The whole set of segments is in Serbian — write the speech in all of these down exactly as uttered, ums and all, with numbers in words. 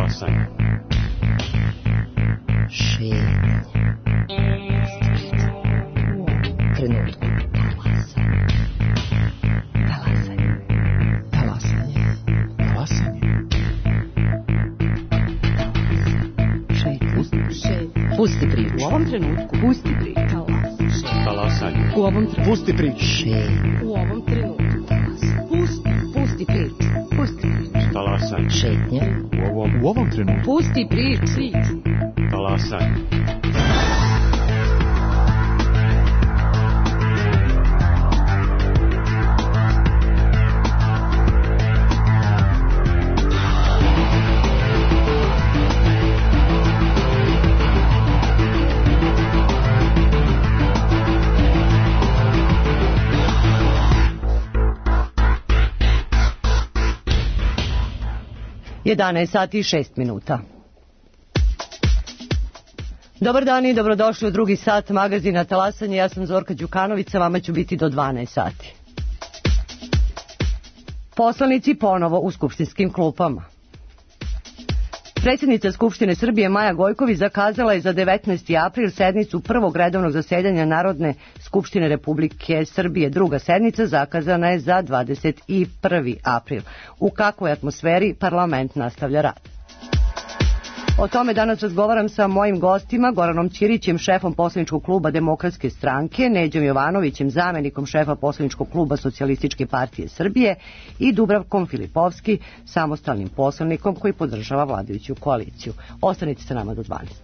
Talasanje. Šetnje. Trenutku. Talasanje. Talasanje. Talasanje. Šetnje. Šetnje. Pusti priču. U ovom trenutku. Pusti priču. Talasanje. U ovom trenutku. Pusti priču. Šetnje. U ovom trenutku. Pusti. Pusti priču. Pusti priču. Talasanje. Šetnje. U ovom, u ovom trenutku. Pusti priču. Talasanje. jedanaest sati i šest minuta. Dobar dan i dobrodošli u drugi sat magazina Talasanje. Ja sam Zorka Đukanović, vama ću biti do dvanaest sati. Poslanici ponovo u skupštinskim klupama. Predsjednica Skupštine Srbije Maja Gojković zakazala je za devetnaesti april sednicu prvog redovnog zasedanja Narodne skupštine Republike Srbije. Druga sednica zakazana je za dvadeset prvi april. U kakvoj atmosferi parlament nastavlja rad? O tome danas razgovaram sa mojim gostima, Goranom Ćirićem, šefom poslaničkog kluba Demokratske stranke, Neđom Jovanovićem, zamenikom šefa poslaničkog kluba Socijalističke partije Srbije i Dubravkom Filipovski, samostalnim poslanikom koji podržava vladajuću koaliciju. Ostanite sa nama do dvanaest.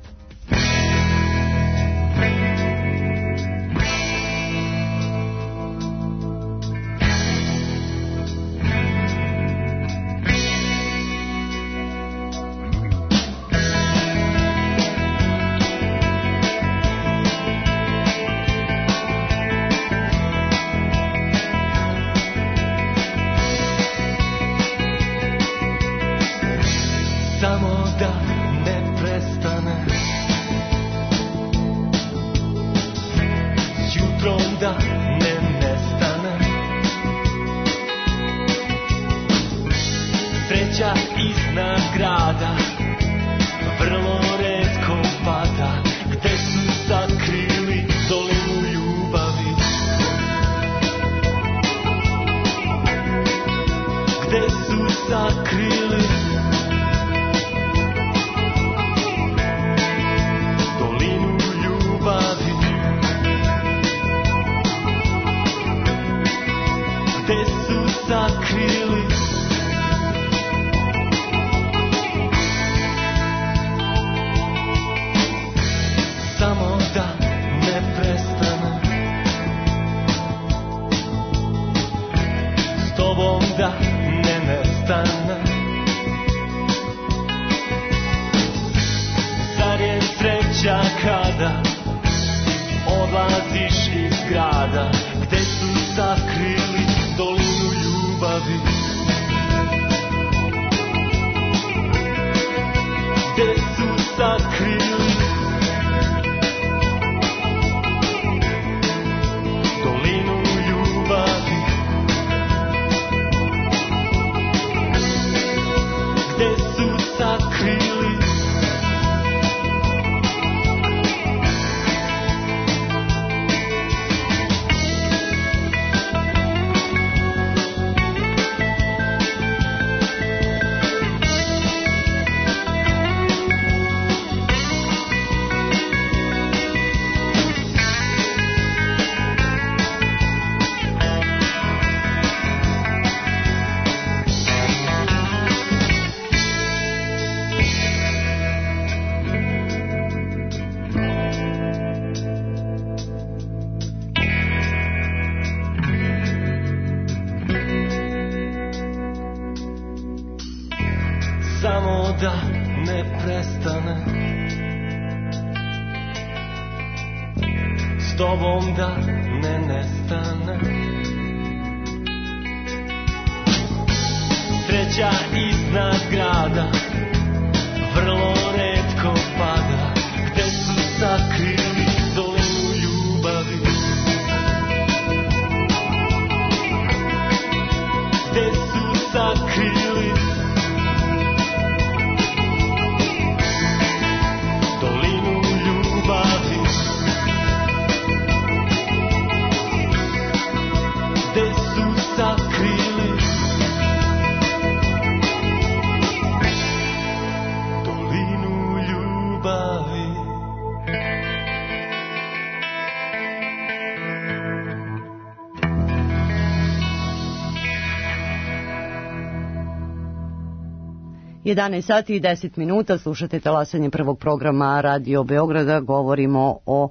jedanaest sati i deset minuta, slušate talasanje prvog programa Radio Beograda, govorimo o uh,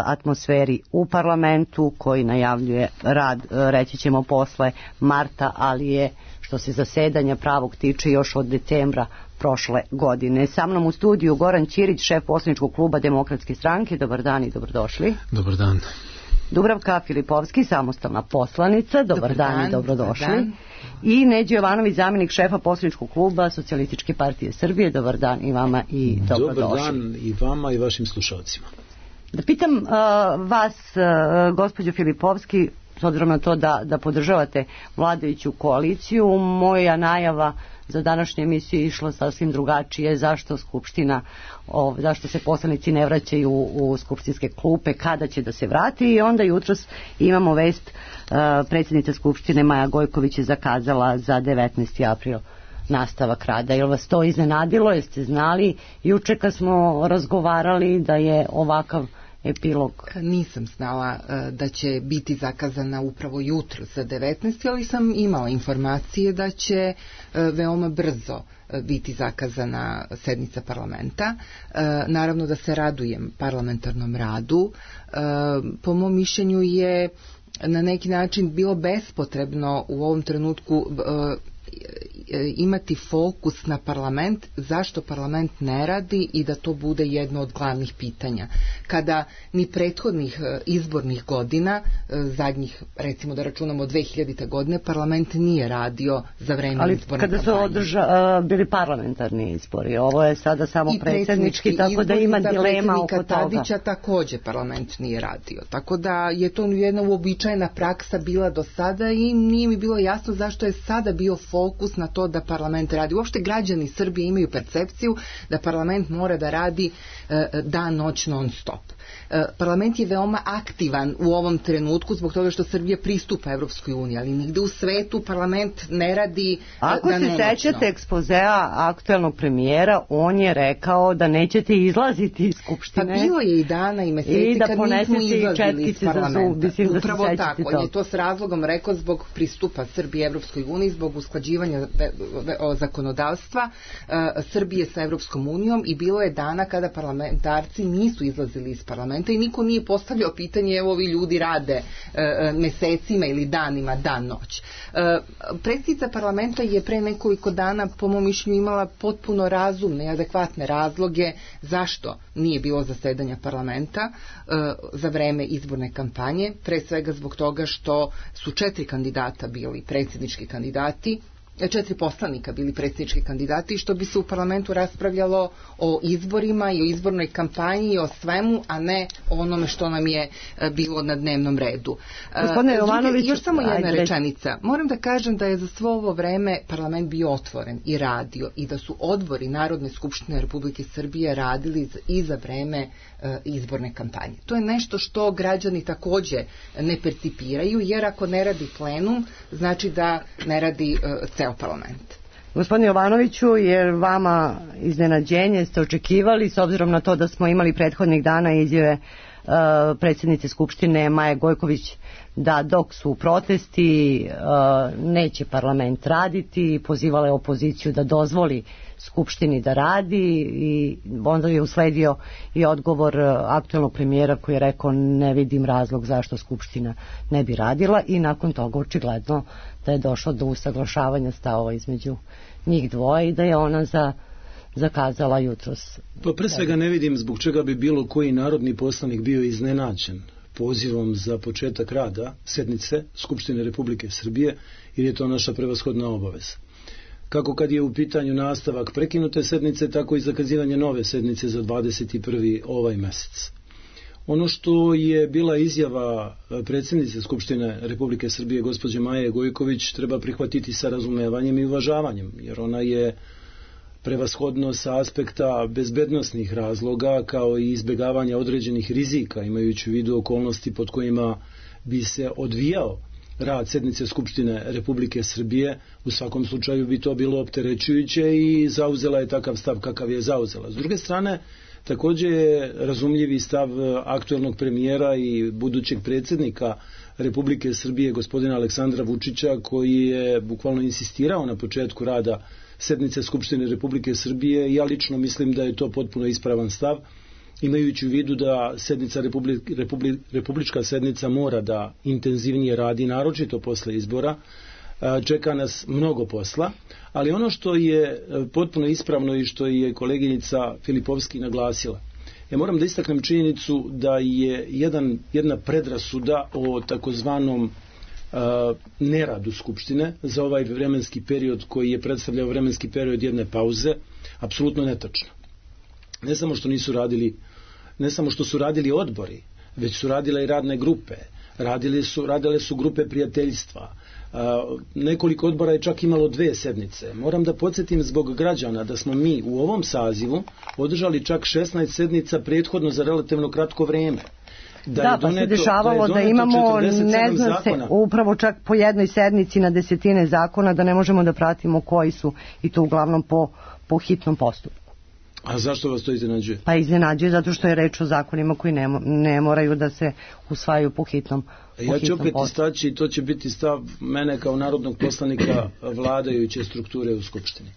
atmosferi u parlamentu koji najavljuje rad, uh, reći ćemo posle marta, ali je što se zasedanja pravog tiče još od decembra prošle godine. Sa mnom u studiju Goran Ćirić, šef poslaničkog kluba Demokratske stranke. Dobar dan i dobrodošli. Dobar dan. Dubravka Filipovski, samostalna poslanica. Dobar, Dobar dan, dan i dobrodošli. Dan. I Neđo Jovanović, zamjenik šefa poslaničkog kluba Socijalističke partije Srbije. Dobar dan i vama i dobrodošli. Dobar dan i vama i vašim slušalcima. Da pitam uh, vas, uh, gospođo Filipovski, s obzirom na to da, da podržavate vladajuću koaliciju, moja najava za današnju emisiju je išla sasvim drugačije. Zašto Skupština, o, zašto se poslanici ne vraćaju u, u skupštinske klupe, kada će da se vrati, i onda jutros imamo vest, uh, predsjednica Skupštine Maja Gojković je zakazala za devetnaesti april nastavak rada. Je li vas to iznenadilo? Jeste znali juče kad smo razgovarali da je ovakav epilog? Nisam znala uh, da će biti zakazana upravo jutro za devetnaesti, ali sam imala informacije da će uh, veoma brzo uh, biti zakazana sednica parlamenta. Uh, naravno da se radujem parlamentarnom radu. Uh, po mom mišljenju je na neki način bilo bespotrebno u ovom trenutku uh, imati fokus na parlament, zašto parlament ne radi i da to bude jedno od glavnih pitanja. Kada ni prethodnih izbornih godina, zadnjih, recimo da računamo dve hiljadite godine, parlament nije radio za vreme ali izborne kampanje. Ali kada su održa, uh, bili parlamentarni izbori, ovo je sada samo I predsjednički, tako da ima dilema oko toga. Tadića također parlament nije radio. Tako da je to jedna uobičajena praksa bila do sada i nije mi bilo jasno zašto je sada bio fokus na to da parlament radi. Uopšte građani Srbije imaju percepciju da parlament mora da radi e, dan, noć, non stop. E, parlament je veoma aktivan u ovom trenutku zbog toga što Srbija pristupa Evropskoj uniji, ali nigde u svetu parlament ne radi Ako da se sećate ekspozea aktuelnog premijera, on je rekao da nećete izlaziti iz Skupštine. Pa bilo je i dana i meseci i da kad nismo izlazili iz parlamenta. Zub, Upravo da tako, on je to s razlogom rekao zbog pristupa Srbije Evropskoj uniji, zbog usklađivanja zakonodavstva Srbije sa Evropskom unijom, i bilo je dana kada parlamentarci nisu izlazili iz parlamenta i niko nije postavljao pitanje, evo ovi ljudi rade mesecima ili danima, dan, noć. Predsjednica parlamenta je pre nekoliko dana po mom mišljenju imala potpuno razumne i adekvatne razloge zašto nije bilo zasedanja parlamenta za vreme izborne kampanje, pre svega zbog toga što su četiri kandidata bili predsjednički kandidati, četiri poslanika bili predsjednički kandidati, što bi se u parlamentu raspravljalo o izborima i o izbornoj kampanji i o svemu, a ne o onome što nam je bilo na dnevnom redu. Gospodine Jovanović, još samo jedna ajde. rečenica. Moram da kažem da je za svo ovo vreme parlament bio otvoren i radio i da su odbori Narodne skupštine Republike Srbije radili i za vreme izborne kampanje. To je nešto što građani takođe ne percipiraju, jer ako ne radi plenum, znači da ne radi ceo parlament. Gospodine Jovanoviću, jer vama iznenađenje ste očekivali, s obzirom na to da smo imali prethodnih dana izjave uh, predsjednice Skupštine Maje Gojković da dok su protesti uh, neće parlament raditi, pozivala je opoziciju da dozvoli Skupštini da radi, i onda je usledio i odgovor aktuelnog premijera koji je rekao ne vidim razlog zašto Skupština ne bi radila, i nakon toga očigledno da je došlo do usaglašavanja stavova između njih dvoje i da je ona za, zakazala jutros. Pa pre svega ne vidim zbog čega bi bilo koji narodni poslanik bio iznenađen pozivom za početak rada sednice Skupštine Republike Srbije, jer je to naša prevashodna obaveza. Kako kad je u pitanju nastavak prekinute sednice, tako i zakazivanje nove sednice za dvadeset prvi ovaj mesec. Ono što je bila izjava predsjednice Skupštine Republike Srbije gospođe Maje Gojković treba prihvatiti sa razumevanjem i uvažavanjem, jer ona je prevashodno sa aspekta bezbednosnih razloga kao i izbjegavanja određenih rizika, imajući u vidu okolnosti pod kojima bi se odvijao rad sednice Skupštine Republike Srbije. U svakom slučaju bi to bilo opterećujuće i zauzela je takav stav kakav je zauzela. S druge strane, Također je razumljivi stav aktuelnog premijera i budućeg predsjednika Republike Srbije, gospodina Aleksandra Vučića, koji je bukvalno insistirao na početku rada sednice Skupštine Republike Srbije. Ja lično mislim da je to potpuno ispravan stav, imajući u vidu da sednica Republi, Republi, republička sednica mora da intenzivnije radi, naročito posle izbora. Čeka nas mnogo posla, ali ono što je potpuno ispravno i što je koleginica Filipovski naglasila, ja moram da istaknem činjenicu da je jedan, jedna predrasuda o takozvanom uh, neradu Skupštine za ovaj vremenski period koji je predstavljao vremenski period jedne pauze, apsolutno netačno. Ne samo što nisu radili, ne samo što su radili odbori, već su radile i radne grupe, radile su, radile su grupe prijateljstva. Uh, nekoliko odbora je čak imalo dve sednice. Moram da podsjetim zbog građana da smo mi u ovom sazivu održali čak šesnaest sednica prethodno za relativno kratko vrijeme. Da, da pa doneto, se dešavalo da, da imamo, ne znam se, upravo čak po jednoj sednici na desetine zakona, da ne možemo da pratimo koji su, i to uglavnom po, po hitnom postupku. A zašto vas to iznenađuje? Pa iznenađuje zato što je reč o zakonima koji ne, ne moraju da se usvajaju po hitnom postupku. Ja ću opet istaći, to će biti stav mene kao narodnog poslanika vladajuće strukture u Skupštini.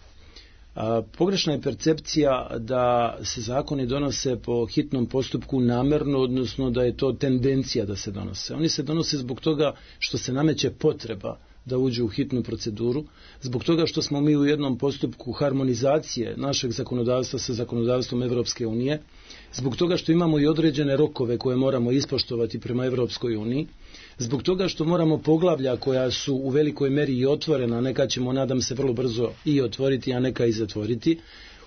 A, pogrešna je percepcija da se zakoni donose po hitnom postupku namerno, odnosno da je to tendencija da se donose. Oni se donose zbog toga što se nameće potreba da uđu u hitnu proceduru, zbog toga što smo mi u jednom postupku harmonizacije našeg zakonodavstva sa zakonodavstvom Evropske unije, zbog toga što imamo i određene rokove koje moramo ispoštovati prema Evropskoj uniji, zbog toga što moramo poglavlja koja su u velikoj meri i otvorena, neka ćemo, nadam se, vrlo brzo i otvoriti, a neka i zatvoriti,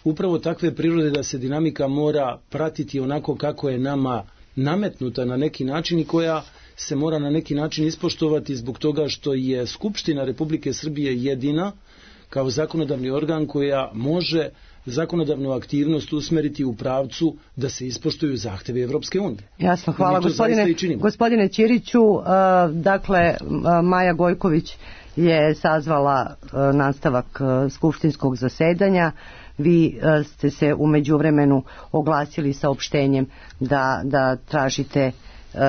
upravo takve prirode da se dinamika mora pratiti onako kako je nama nametnuta na neki način i koja se mora na neki način ispoštovati zbog toga što je Skupština Republike Srbije jedina kao zakonodavni organ koja može zakonodavnu aktivnost usmeriti u pravcu da se ispoštuju zahtevi Evropske unije. Jasno, hvala gospodine, gospodine Ćiriću. Uh, dakle, uh, Maja Gojković je sazvala uh, nastavak uh, skupštinskog zasedanja. Vi uh, ste se u međuvremenu oglasili saopštenjem da, da tražite uh,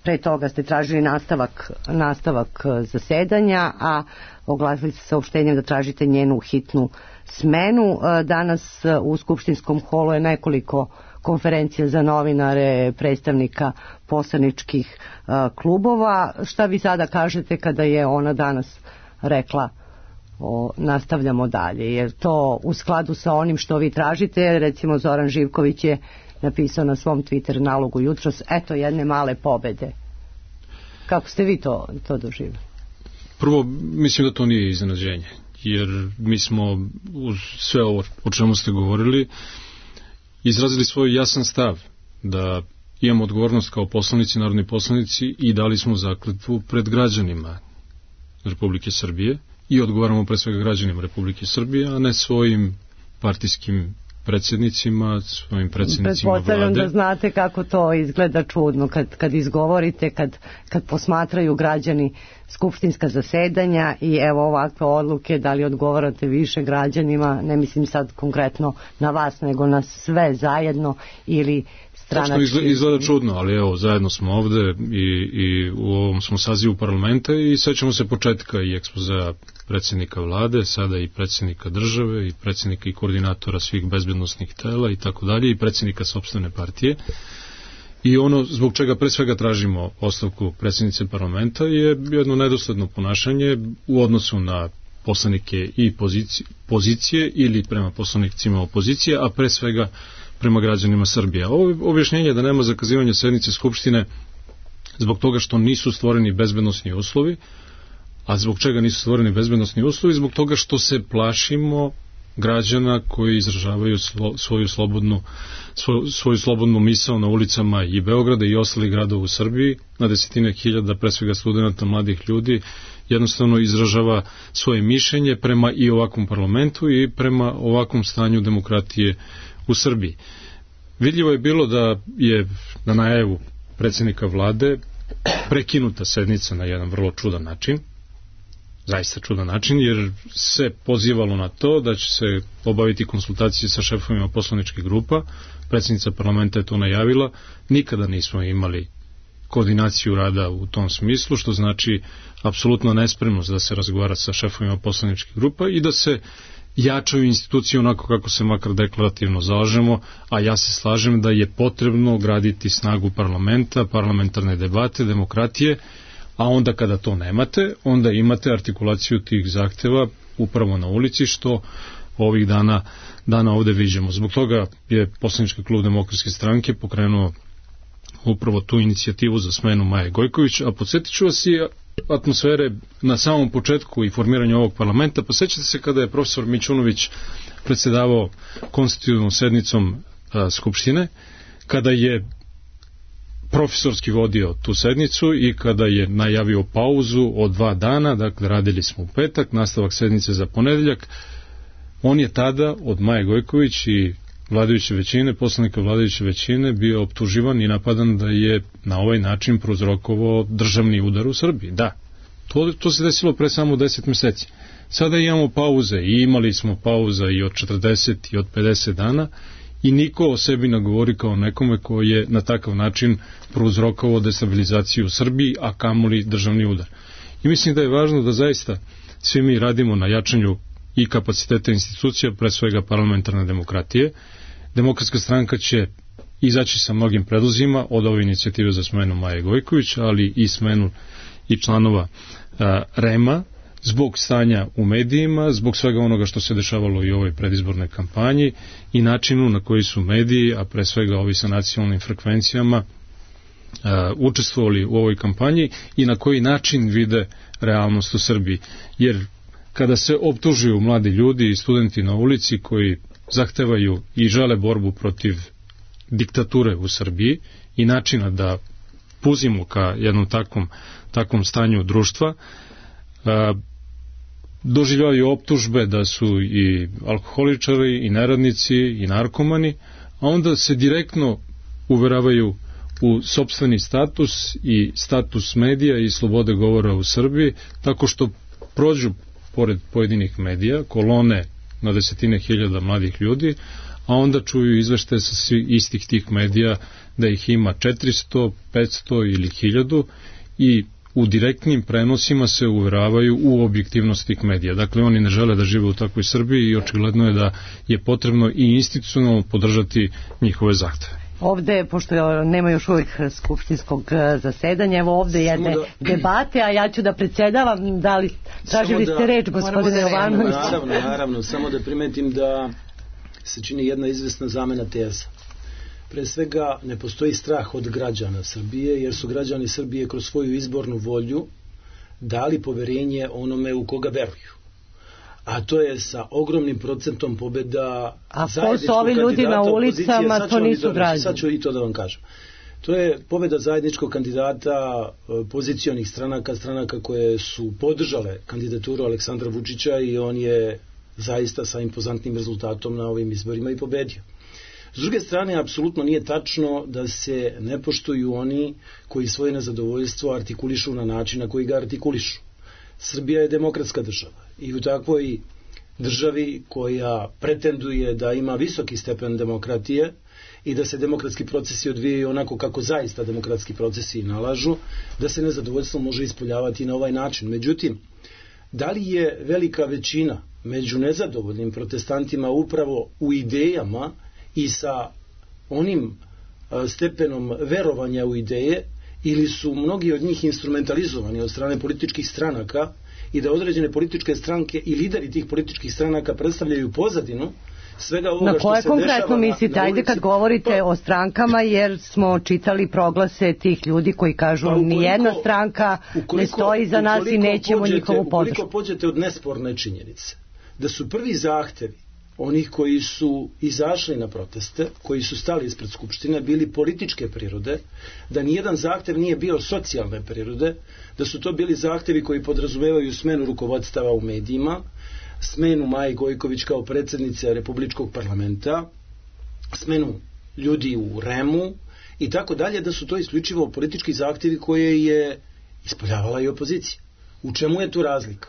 pre toga ste tražili nastavak, nastavak zasedanja, a oglasili ste saopštenjem da tražite njenu hitnu smenu. Danas u skupštinskom holu je nekoliko konferencija za novinare, predstavnika poslaničkih klubova. Šta vi sada kažete kada je ona danas rekla o, nastavljamo dalje? Je to u skladu sa onim što vi tražite? Recimo Zoran Živković je napisao na svom Twitter nalogu jutros, eto jedne male pobede. Kako ste vi to, to doživjeli? Prvo, mislim da to nije iznenađenje, jer mi smo uz sve ovo o čemu ste govorili izrazili svoj jasan stav da imamo odgovornost kao poslanici, narodni poslanici, i dali smo zakletvu pred građanima Republike Srbije i odgovaramo pre svega građanima Republike Srbije, a ne svojim partijskim predsjednicima, svojim predsjednicima vlade. Pretpostavljam da znate kako to izgleda čudno kad, kad izgovorite, kad, kad posmatraju građani skupštinska zasedanja i evo ovakve odluke, da li odgovarate više građanima, ne mislim sad konkretno na vas, nego na sve zajedno ili stranački. Izgleda, izgleda čudno, ali evo, zajedno smo ovde i, i u ovom smo sazivu parlamenta i sećamo se početka i ekspozea predsjednika vlade, sada i predsjednika države i predsjednika i koordinatora svih bezbednosnih tela i tako dalje i predsjednika sopstvene partije. I ono zbog čega pre svega tražimo ostavku predsjednice parlamenta je jedno nedosledno ponašanje u odnosu na poslanike i pozicije, pozicije ili prema poslanicima opozicije, a pre svega prema građanima Srbije. Ovo objašnjenje da nema zakazivanja sednice Skupštine zbog toga što nisu stvoreni bezbednosni uslovi, a zbog čega nisu stvoreni bezbednosni uslovi? Zbog toga što se plašimo građana koji izražavaju slo, svoju slobodnu svoju, svoju slobodnu misao na ulicama i Beograda i ostalih gradova u Srbiji, na desetine hiljada pre svega studenata, mladih ljudi jednostavno izražava svoje mišljenje prema i ovakvom parlamentu i prema ovakvom stanju demokratije u Srbiji. Vidljivo je bilo da je na najavu predsjednika vlade prekinuta sednica na jedan vrlo čudan način, zaista čudan način, jer se pozivalo na to da će se obaviti konsultacije sa šefovima poslaničkih grupa. Predsjednica parlamenta je to najavila. Nikada nismo imali koordinaciju rada u tom smislu, što znači apsolutno nespremnost da se razgovara sa šefovima poslaničkih grupa i da se jačaju institucije onako kako se makar deklarativno zalažemo, a ja se slažem da je potrebno graditi snagu parlamenta, parlamentarne debate, demokratije, a onda kada to nemate, onda imate artikulaciju tih zahteva upravo na ulici, što ovih dana, dana ovde viđemo. Zbog toga je poslanički klub Demokratske stranke pokrenuo upravo tu inicijativu za smenu Maje Gojković, a podsjetit ću vas i atmosfere na samom početku i formiranju ovog parlamenta. Posjećate se kada je profesor Mićunović predsjedavao konstitutivnom sednicom a, Skupštine, kada je profesorski vodio tu sednicu i kada je najavio pauzu od dva dana, dakle radili smo u petak, nastavak sednice za ponedeljak. On je tada od Maje Gojković i vladajuće većine, poslanika vladajuće većine, bio optuživan i napadan da je na ovaj način prouzrokovao državni udar u Srbiji. Da, to, to se desilo pre samo deset meseci. Sada imamo pauze i imali smo pauza i od četrdeset i od pedeset dana i niko o sebi ne govori kao nekome koji je na takav način prouzrokovao destabilizaciju u Srbiji, a kamoli državni udar. I mislim da je važno da zaista svi mi radimo na jačanju i kapaciteta institucija, pre svega parlamentarne demokratije. Demokratska stranka će izaći sa mnogim predlozima od ove inicijative za smenu Maje Gojković, ali i smenu i članova a, REM-a, zbog stanja u medijima, zbog svega onoga što se dešavalo i u ovoj predizbornoj kampanji i načinu na koji su mediji, a pre svega ovi sa nacionalnim frekvencijama, a, učestvovali u ovoj kampanji i na koji način vide realnost u Srbiji. Jer kada se optužuju mladi ljudi i studenti na ulici koji zahtevaju i žele borbu protiv diktature u Srbiji i načina da puzimo ka jednom takvom, takvom stanju društva, a, doživljavaju optužbe da su i alkoholičari i neradnici i narkomani, a onda se direktno uveravaju u sopstveni status i status medija i slobode govora u Srbiji, tako što prođu pored pojedinih medija, kolone na desetine hiljada mladih ljudi, a onda čuju izveštaje sa svih istih tih medija da ih ima četiristo, petsto ili hiljadu i u direktnim prenosima se uveravaju u objektivnost tih medija. Dakle, oni ne žele da žive u takvoj Srbiji i očigledno je da je potrebno i institucionalno podržati njihove zahteve. Ovde, pošto nema još uvijek skupštinskog zasedanja, evo ovde jedne da... debate, a ja ću da predsjedavam. Da li tražili da... ste reč, gospodine Jovanović? Naravno, naravno, samo da primetim da se čini jedna izvesna zamena teza. Pre svega ne postoji strah od građana Srbije, jer su građani Srbije kroz svoju izbornu volju dali poverenje onome u koga veruju. A to je sa ogromnim procentom pobjeda. A ko su ovi ljudi na ulicama, to nisu građani. Sad ću i to da vam kažem. To je pobjeda zajedničkog kandidata pozicionih stranaka, stranaka koje su podržale kandidaturu Aleksandra Vučića i on je zaista sa impozantnim rezultatom na ovim izborima i pobedio. S druge strane, apsolutno nije tačno da se ne poštuju oni koji svoje nezadovoljstvo artikulišu na način na koji ga artikulišu. Srbija je demokratska država i u takvoj državi koja pretenduje da ima visoki stepen demokratije i da se demokratski procesi odvijaju onako kako zaista demokratski procesi nalažu, da se nezadovoljstvo može ispoljavati na ovaj način. Međutim, da li je velika većina među nezadovoljnim protestantima upravo u idejama i sa onim stepenom verovanja u ideje, ili su mnogi od njih instrumentalizovani od strane političkih stranaka i da određene političke stranke i lideri tih političkih stranaka predstavljaju pozadinu svega ovoga što se dešava. Na koje konkretno mislite? Ajde kad govorite o strankama, jer smo čitali proglase tih ljudi koji kažu pa nijedna stranka ukoliko, ne stoji za nas i nećemo pođete, njihovu podršku. Ukoliko pođete od nesporne činjenice da su prvi zahtevi onih koji su izašli na proteste, koji su stali ispred Skupštine, bili političke prirode, da nijedan zahtev nije bio socijalne prirode, da su to bili zahtevi koji podrazumevaju smenu rukovodstava u medijima, smenu Maje Gojković kao predsjednice Republičkog parlamenta, smenu ljudi u REM-u i tako dalje, da su to isključivo politički zahtevi koje je ispoljavala i opozicija. U čemu je tu razlika?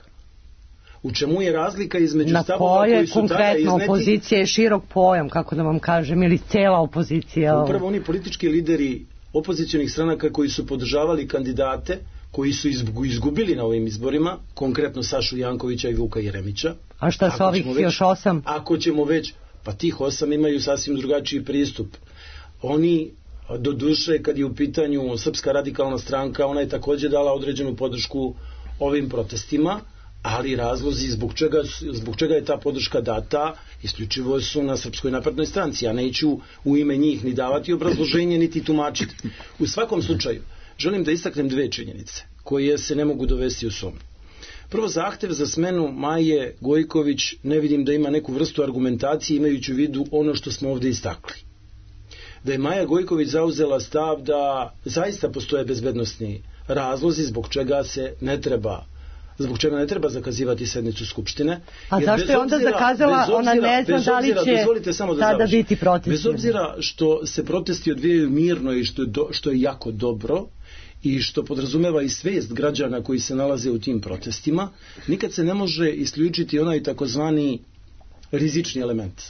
U čemu je razlika između na stavova koji su tada konkretno izneti? opozicija je širok pojam, kako da vam kažem, ili cela opozicija? Upravo oni politički lideri opozicionih stranaka koji su podržavali kandidate koji su izgubili na ovim izborima, konkretno Sašu Jankovića i Vuka Jeremića. A šta sa ovih već, još osam? Ako ćemo već, pa tih osam imaju sasvim drugačiji pristup. Oni, do duše, kad je u pitanju Srpska radikalna stranka, ona je također dala određenu podršku ovim protestima, ali razlozi zbog čega, zbog čega je ta podrška data isključivo su na Srpskoj naprednoj stranci. Ja neću u ime njih ni davati obrazloženje niti tumačiti. U svakom slučaju želim da istaknem dve činjenice koje se ne mogu dovesti u sumnju. Prvo, zahtev za smenu Maje Gojković ne vidim da ima neku vrstu argumentacije imajući u vidu ono što smo ovdje istakli. Da je Maja Gojković zauzela stav da zaista postoje bezbednosni razlozi zbog čega se ne treba zbog čega ne treba zakazivati sednicu Skupštine. A zašto je onda zakazala, obzira, ona ne zna da li će tada da biti protesti? Bez obzira što se protesti odvijaju mirno i što je, do, što je jako dobro i što podrazumeva i svijest građana koji se nalaze u tim protestima, nikad se ne može isključiti onaj takozvani rizični element.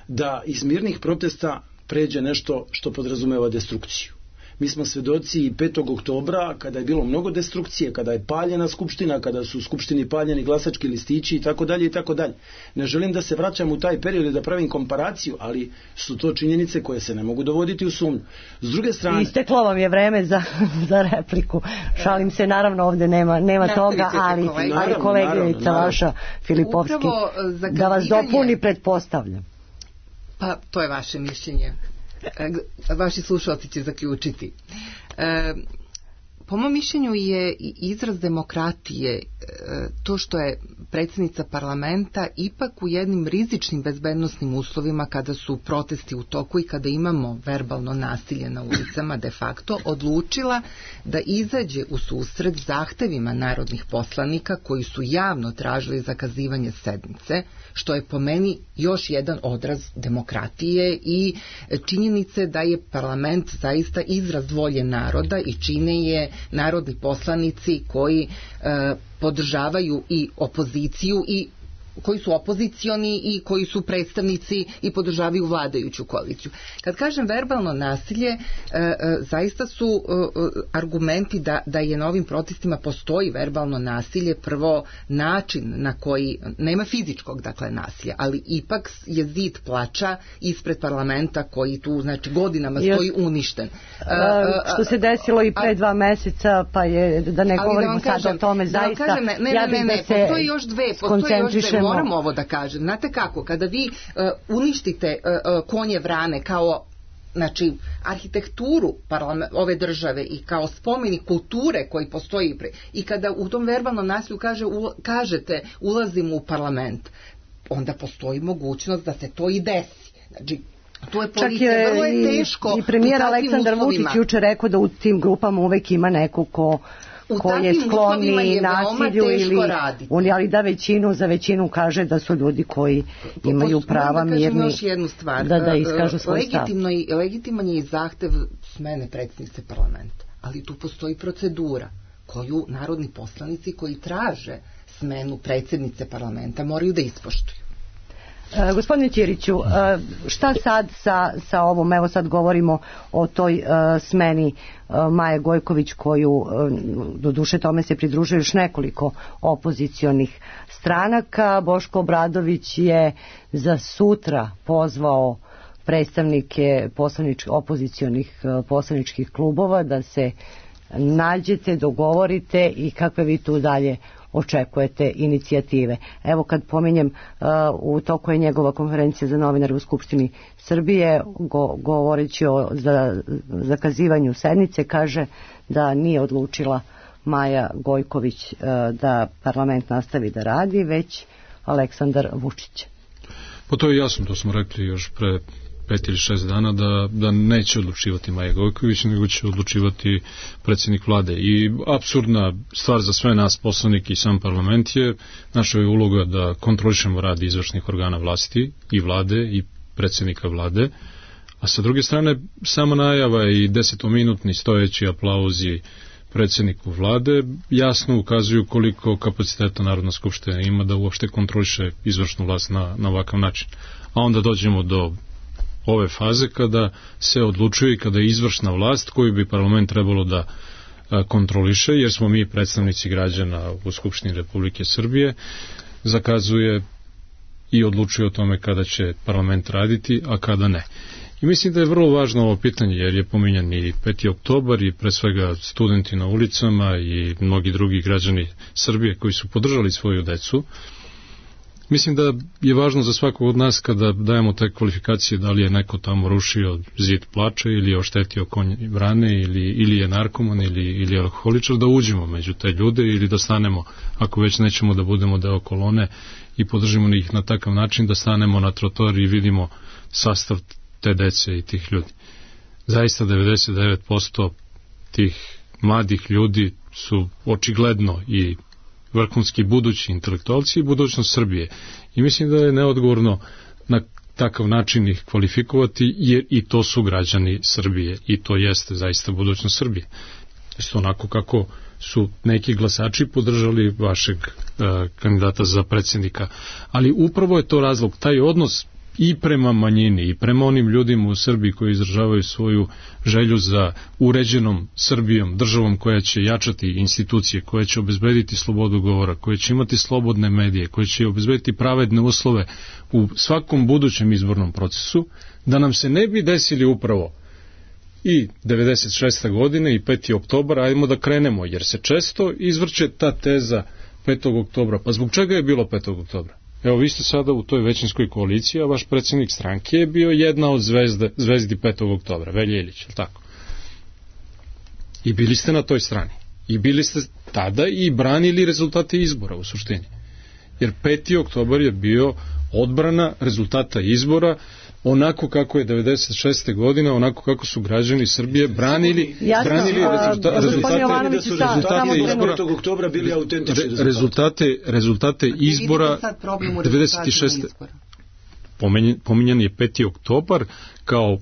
Da iz mirnih protesta pređe nešto što podrazumeva destrukciju. Mi smo svedoci i petog oktobra kada je bilo mnogo destrukcije, kada je paljena skupština, kada su u skupštini paljeni glasački listići i tako dalje i tako dalje. Ne želim da se vraćam u taj period i da pravim komparaciju, ali su to činjenice koje se ne mogu dovoditi u sumnju. S druge strane... Isteklo vam je vreme za, za repliku. Šalim se, naravno ovdje nema, nema toga, ali, ali koleginica vaša Filipovski da vas dopuni, pretpostavljam. Pa to je vaše mišljenje. Vaši slušalci će zaključiti. E, po mom mišljenju je izraz demokratije e, to što je predsjednica parlamenta ipak u jednim rizičnim bezbednosnim uslovima kada su protesti u toku i kada imamo verbalno nasilje na ulicama de facto odlučila da izađe u susret zahtevima narodnih poslanika koji su javno tražili zakazivanje sednice, što je po meni još jedan odraz demokratije i činjenice da je parlament zaista izraz volje naroda i čine je narodni poslanici koji e, podržavaju i opoziciju i koji su opozicioni i koji su predstavnici i podržavaju vladajuću koaliciju. Kad kažem verbalno nasilje, e, e, zaista su e, argumenti da, da je na ovim protestima postoji verbalno nasilje, prvo način na koji, nema fizičkog dakle nasilja, ali ipak je zid plača ispred parlamenta koji tu znači godinama stoji uništen. E, što se desilo i pre dva meseca, pa je, da ne govorimo da sad o tome, zaista, da kažem, ne, ne, ja ne, ne, ne, da postoji još dve, postoji još dve, moram ovo da kažem. Znate kako, kada vi uh, uništite uh, konje vrane kao znači arhitekturu ove države i kao spomenik kulture koji postoji pre, i kada u tom verbalnom nasilju kaže, u, kažete ulazimo u parlament, onda postoji mogućnost da se to i desi. Znači, to je policija, čak je, vrlo je teško. I, i premijer Aleksandar Vučić juče rekao da u tim grupama uvek ima neko ko ko je skloni nasilju ili on, ali da većinu za većinu kaže da su ljudi koji imaju prava da mirni još jednu stvar. Da, da iskažu svoj Legitimno i, legitiman je i zahtev smene predsjednice parlamenta, ali tu postoji procedura koju narodni poslanici koji traže smenu predsjednice parlamenta moraju da ispoštuju. E, gospodine Ćiriću, e, šta sad sa, sa ovom, evo sad govorimo o toj e, smeni e, Maje Gojković koju, e, do duše tome se pridružuje još nekoliko opozicionih stranaka. Boško Obradović je za sutra pozvao predstavnike poslanič, opozicionih e, poslaničkih klubova da se nađete, dogovorite i kakve vi tu dalje očekujete inicijative. Evo kad pominjem, uh, u toku je njegova konferencija za novinare u Skupštini Srbije, go, govoreći o za, zakazivanju sednice, kaže da nije odlučila Maja Gojković uh, da parlament nastavi da radi, već Aleksandar Vučić. Pa to je jasno, to smo rekli još pre pet ili šest dana da, da neće odlučivati Maja Gojković, nego će odlučivati predsjednik vlade. I apsurdna stvar za sve nas poslanike i sam parlament je naša je uloga da kontrolišemo rad izvršnih organa vlasti i vlade i predsjednika vlade, a sa druge strane sama najava i desetominutni stojeći aplauzi predsjedniku vlade, jasno ukazuju koliko kapaciteta Narodna skupština ima da uopšte kontroliše izvršnu vlast na, na ovakav način. A onda dođemo do ove faze kada se odlučuje i kada je izvršna vlast koju bi parlament trebalo da kontroliše, jer smo mi predstavnici građana u Skupštini Republike Srbije, zakazuje i odlučuje o tome kada će parlament raditi, a kada ne. I mislim da je vrlo važno ovo pitanje, jer je pominjan i peti oktobar i pre svega studenti na ulicama i mnogi drugi građani Srbije koji su podržali svoju decu. Mislim da je važno za svakog od nas kada dajemo te kvalifikacije da li je neko tamo rušio zid plača ili je oštetio konj brane ili, ili je narkoman ili, ili je alkoholičar, da uđemo među te ljude ili da stanemo, ako već nećemo da budemo deo kolone i podržimo ih na takav način, da stanemo na trotoar i vidimo sastav te dece i tih ljudi. Zaista devedeset devet posto tih mladih ljudi su očigledno i vrhunski budući intelektualci i budućnost Srbije. I mislim da je neodgovorno na takav način ih kvalifikovati, jer i to su građani Srbije i to jeste zaista budućnost Srbije. Isto onako kako su neki glasači podržali vašeg uh, kandidata za predsjednika. Ali upravo je to razlog, taj odnos i prema manjini i prema onim ljudima u Srbiji koji izražavaju svoju želju za uređenom Srbijom, državom koja će jačati institucije, koja će obezbediti slobodu govora, koja će imati slobodne medije, koja će obezbediti pravedne uslove u svakom budućem izbornom procesu, da nam se ne bi desili upravo i devedeset šeste godine i peti oktobar, ajmo da krenemo, jer se često izvrće ta teza petog oktobra. Pa zbog čega je bilo petog oktobra? Evo, vi ste sada u toj većinskoj koaliciji, a vaš predsjednik stranke je bio jedna od zvezde, zvezdi petog oktobra, Velja Ilić, je li tako? I bili ste na toj strani. I bili ste tada i branili rezultate izbora u suštini. Jer peti oktobar je bio odbrana rezultata izbora, onako kako je devedeset šeste godine, onako kako su građani Srbije branili, Jasno, branili rezulta, rezultate, da su rezultate izbora petog oktobra bili autentični re, rezultate, rezultate izbora devedeset šeste. Pominjan, pominjan je peti oktobar kao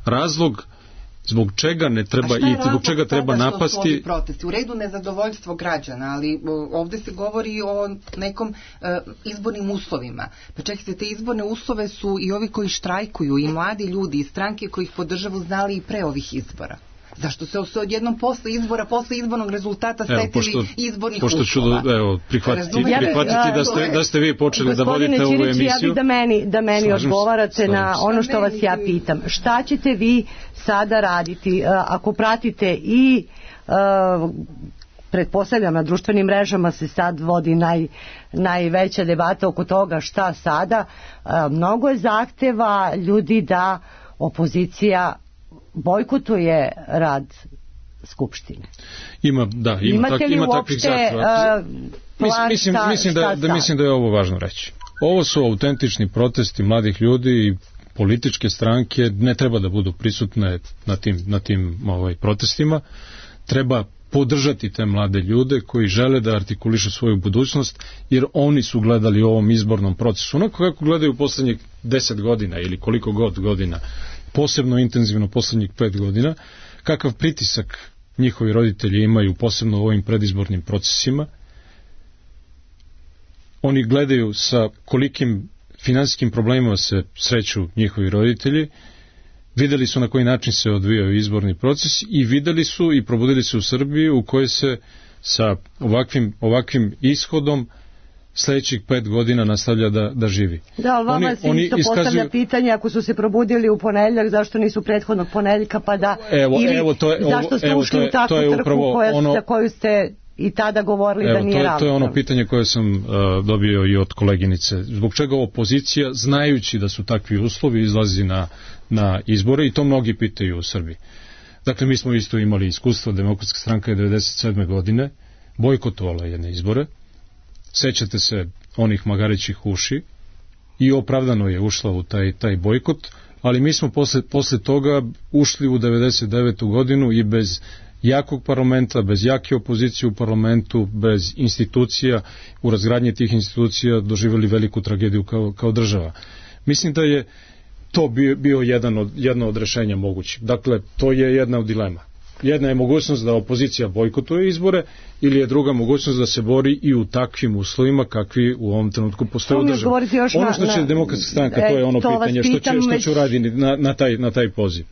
razlog zbog čega ne treba i zbog čega treba napasti. Protesti? U redu nezadovoljstvo građana, ali ovde se govori o nekom uh, izbornim uslovima. Pa čekajte, te izborne uslove su i ovi koji štrajkuju, i mladi ljudi, i stranke koji ih podržavu znali i pre ovih izbora. Zašto se se odjednom posle izbora, posle izbornog rezultata setili pošto, izbornih pošto uslova? Pošto ću evo, prihvatiti, prihvatiti da, ste, da ste vi počeli da vodite ovu emisiju. Ja bih da meni, da meni odgovarate slažim na ono što vas ja pitam. Šta ćete vi sada raditi ako pratite i uh, pretpostavljam na društvenim mrežama se sad vodi naj, najveća debata oko toga šta sada. Uh, mnogo je zahteva ljudi da opozicija bojkotuje rad Skupštine. Ima, da, ima, tak, ima takvih zahteva. Uh, mislim, mislim, mislim, da, da, mislim da je ovo važno reći. Ovo su autentični protesti mladih ljudi i političke stranke ne treba da budu prisutne na tim, na tim ovaj, protestima. Treba podržati te mlade ljude koji žele da artikulišu svoju budućnost, jer oni su gledali u ovom izbornom procesu onako kako gledaju poslednjih deset godina ili koliko god godina, posebno intenzivno poslednjih pet godina, kakav pritisak njihovi roditelji imaju posebno u ovim predizbornim procesima. Oni gledaju sa kolikim finansijskim problemima se sreću njihovi roditelji, videli su na koji način se odvijao izborni proces i videli su i probudili se u Srbiji u kojoj se sa ovakvim, ovakvim ishodom sledećih pet godina nastavlja da, da živi. Da, ali vama oni, se isto iskazuju... postavlja pitanje, ako su se probudili u ponedeljak, zašto nisu prethodnog ponedeljka, pa da... Evo, ili evo, to je, zašto ste evo, ušli to je, u takvu trku koja, ono... za koju ste i tada govorili evo, da nije ravnopravno? To je ono pitanje koje sam uh, dobio i od koleginice. Zbog čega opozicija, znajući da su takvi uslovi, izlazi na, na izbore, i to mnogi pitaju u Srbiji. Dakle, mi smo isto imali iskustvo, Demokratska stranka je devedeset sedme godine bojkotovala jedne izbore. Sećate se onih magarićih uši i opravdano je ušla u taj, taj bojkot, ali mi smo posle, posle toga ušli u devedeset devetu godinu i bez jakog parlamenta, bez jake opozicije u parlamentu, bez institucija, u razgradnji tih institucija doživjeli veliku tragediju kao, kao država. Mislim da je to bio, bio jedan od, jedno od rešenja mogućih. Dakle, to je jedna od dilema. jedna je mogućnost da opozicija bojkotuje izbore, ili je druga mogućnost da se bori i u takvim uslovima kakvi u ovom trenutku postoje u državi. Ono što će na, Demokratska stranka, e, to je ono to pitanje što će, što će uraditi na, na, taj, na taj poziv.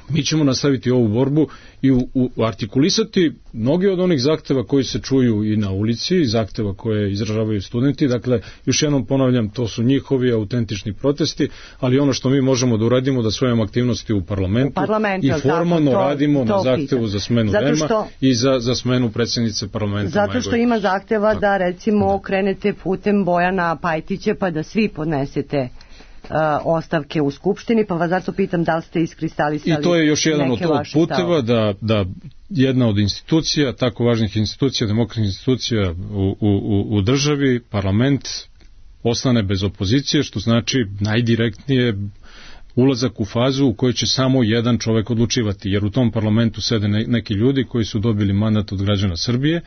Mi ćemo nastaviti ovu borbu i u, u, artikulisati mnogi od onih zahteva koji se čuju i na ulici, i zahteva koje izražavaju studenti. Dakle, još jednom ponavljam, to su njihovi autentični protesti, ali ono što mi možemo da uradimo, da svojom aktivnosti u parlamentu, u parlamentu i formalno tako, to, radimo to na zahtevu pita. Za smenu Rema što, i za, za smenu predsjednice parlamenta. Zato što ima zahteva tako. Da recimo krenete putem Bojana Pajtića pa da svi podnesete Uh, ostavke u Skupštini, pa vas zato pitam da li ste iskristalisali. I to je još jedan od puteva da, da jedna od institucija, tako važnih institucija, demokratskih institucija u, u, u državi, parlament, ostane bez opozicije, što znači najdirektnije ulazak u fazu u kojoj će samo jedan čovek odlučivati, jer u tom parlamentu sede ne, neki ljudi koji su dobili mandat od građana Srbije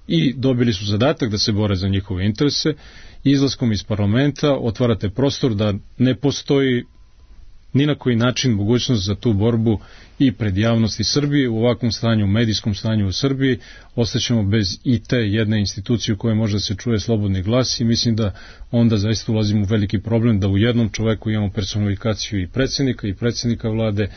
i dobili su zadatak da se bore za njihove interese. Izlaskom iz parlamenta otvarate prostor da ne postoji ni na koji način mogućnost za tu borbu i pred javnosti Srbije. U ovakvom stanju, medijskom stanju u Srbiji, ostaćemo bez i te jedne institucije u kojoj može da se čuje slobodni glas i mislim da onda zaista ulazimo u veliki problem da u jednom čoveku imamo personifikaciju i predsjednika i predsjednika vlade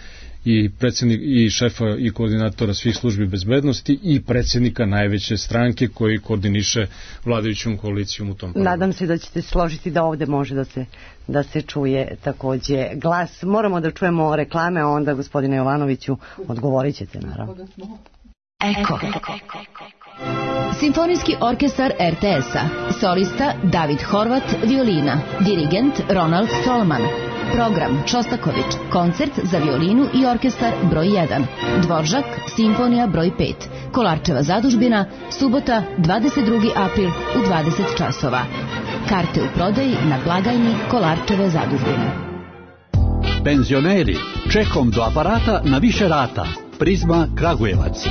i predsjednik i šefa i koordinatora svih službi bezbednosti i predsjednika najveće stranke koji koordiniše vladajućom koalicijom u tom parlamentu. Nadam se da ćete složiti da ovde može da se da se čuje takođe glas. Moramo da čujemo reklame, a onda gospodine Jovanoviću odgovorit ćete naravno. Eko. Simfonijski orkestar er te es-a. Solista David Horvat, violina. Dirigent Ronald Stolman. Program Šostaković, koncert za violinu i orkestar broj jedan. Dvoržak, simfonija broj pet. Kolarčeva zadužbina, subota dvadeset drugi april u dvadeset časova. Karte u prodaji na blagajni Kolarčeve zadužbine. Penzioneri, čekom do aparata na više rata. Prizma Kragujevac.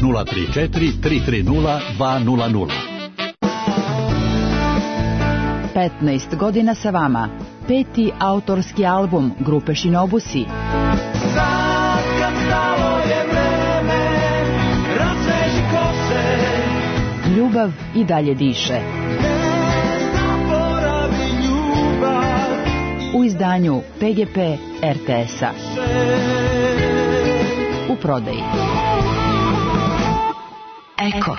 nula tri četiri tri tri nula dva nula nula. petnaest godina sa vama. Peti autorski album grupe Shinobusi. Sad kad stalo je vreme, razveži kose. Ljubav i dalje diše. Ne zaboravi ljubav. U izdanju pe ge pe er te es-a. U prodaji. Eko.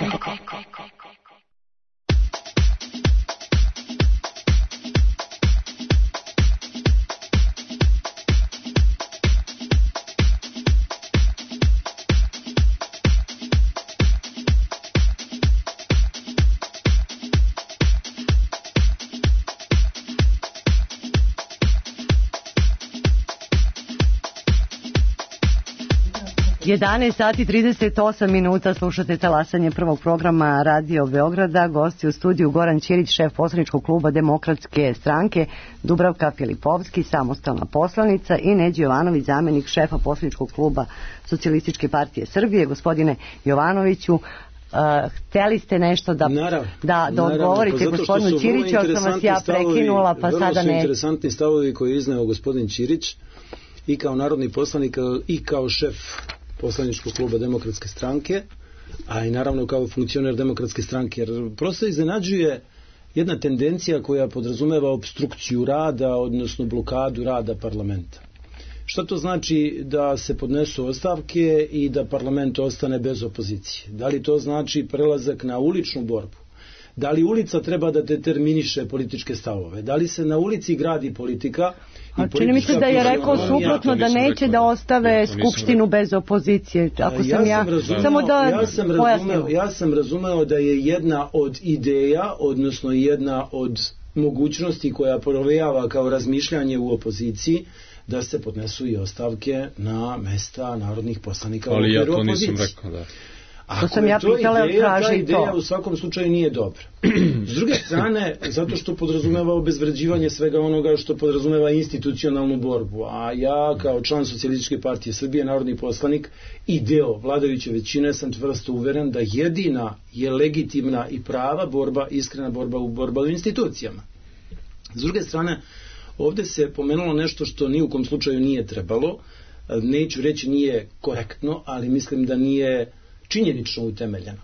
jedanaest sati trideset osam minuta, slušate talasanje prvog programa Radio Beograda. Gosti u studiju Goran Ćirić, šef poslaničkog kluba Demokratske stranke, Dubravka Filipovski, samostalna poslanica, i Neđo Jovanović, zamenik šefa poslaničkog kluba Socijalističke partije Srbije. Gospodine Jovanoviću, Uh, hteli ste nešto da, naravno, da, da odgovorite pa gospodinu Ćiriću, ali sam vas ja prekinula, pa sada ne. Vrlo su interesantni stavovi koji je izneo gospodin Ćirić i kao narodni poslanik i kao šef poslaničkog kluba Demokratske stranke, a i naravno kao funkcioner Demokratske stranke, jer prosto iznenađuje jedna tendencija koja podrazumeva obstrukciju rada, odnosno blokadu rada parlamenta. Šta to znači da se podnesu ostavke i da parlament ostane bez opozicije? Da li to znači prelazak na uličnu borbu? Da li ulica treba da determiniše političke stavove? Da li se na ulici gradi politika? A čini mi se da je rekao suprotno, da neće da ostave skupštinu bez opozicije. Ako sam ja, samo da ja sam razumeo, ja sam razumeo da je jedna od ideja, odnosno jedna od mogućnosti koja provejava kao razmišljanje u opoziciji, da se podnesu i ostavke na mesta narodnih poslanika u okviru opozicije. Ali ja to nisam rekao, da. Ako to sam ja to pitala, ideja, ta ideja to. U svakom slučaju nije dobra. S druge strane, zato što podrazumeva obezvređivanje svega onoga što podrazumeva institucionalnu borbu, a ja kao član Socijalističke partije Srbije, narodni poslanik i deo vladajuće većine, sam čvrsto uveren da jedina je legitimna i prava borba, iskrena borba u borba u institucijama. S druge strane, ovde se pomenulo nešto što ni u kom slučaju nije trebalo. neću reći nije korektno, ali mislim da nije činjenično utemeljeno.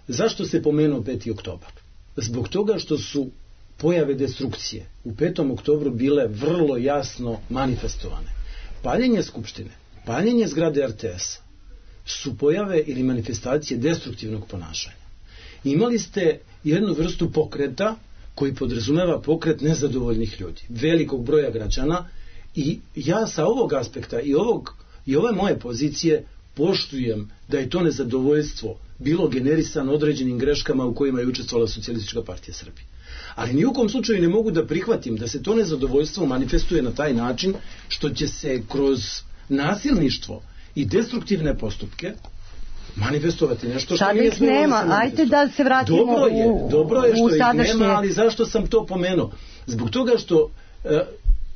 Zašto se pomenuo peti oktobar? Zbog toga što su pojave destrukcije u petom oktobru bile vrlo jasno manifestovane. Paljenje Skupštine, paljenje zgrade R T S-a su pojave ili manifestacije destruktivnog ponašanja. Imali ste jednu vrstu pokreta koji podrazumeva pokret nezadovoljnih ljudi, velikog broja građana, i ja sa ovog aspekta i, ovog, i ove moje pozicije poštujem da je to nezadovoljstvo bilo generisano određenim greškama u kojima je učestvovala Socijalistička partija Srbije. Ali ni u kom slučaju ne mogu da prihvatim da se to nezadovoljstvo manifestuje na taj način što će se kroz nasilništvo i destruktivne postupke manifestovati nešto što nije smjelo da se manifestuje. Ajde da se vratimo dobro je, u, dobro je što u sadašnje... ih nema, ali zašto sam to pomenuo? Zbog toga što e,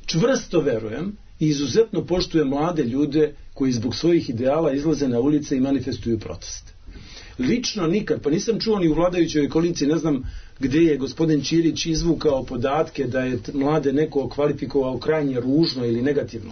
čvrsto verujem i izuzetno poštujem mlade ljude koji zbog svojih ideala izlaze na ulice i manifestuju proteste. Lično nikad, pa nisam čuo ni u vladajućoj koaliciji, ne znam gdje je gospodin Ćirić izvukao podatke da je mlade neko kvalifikovao krajnje ružno ili negativno.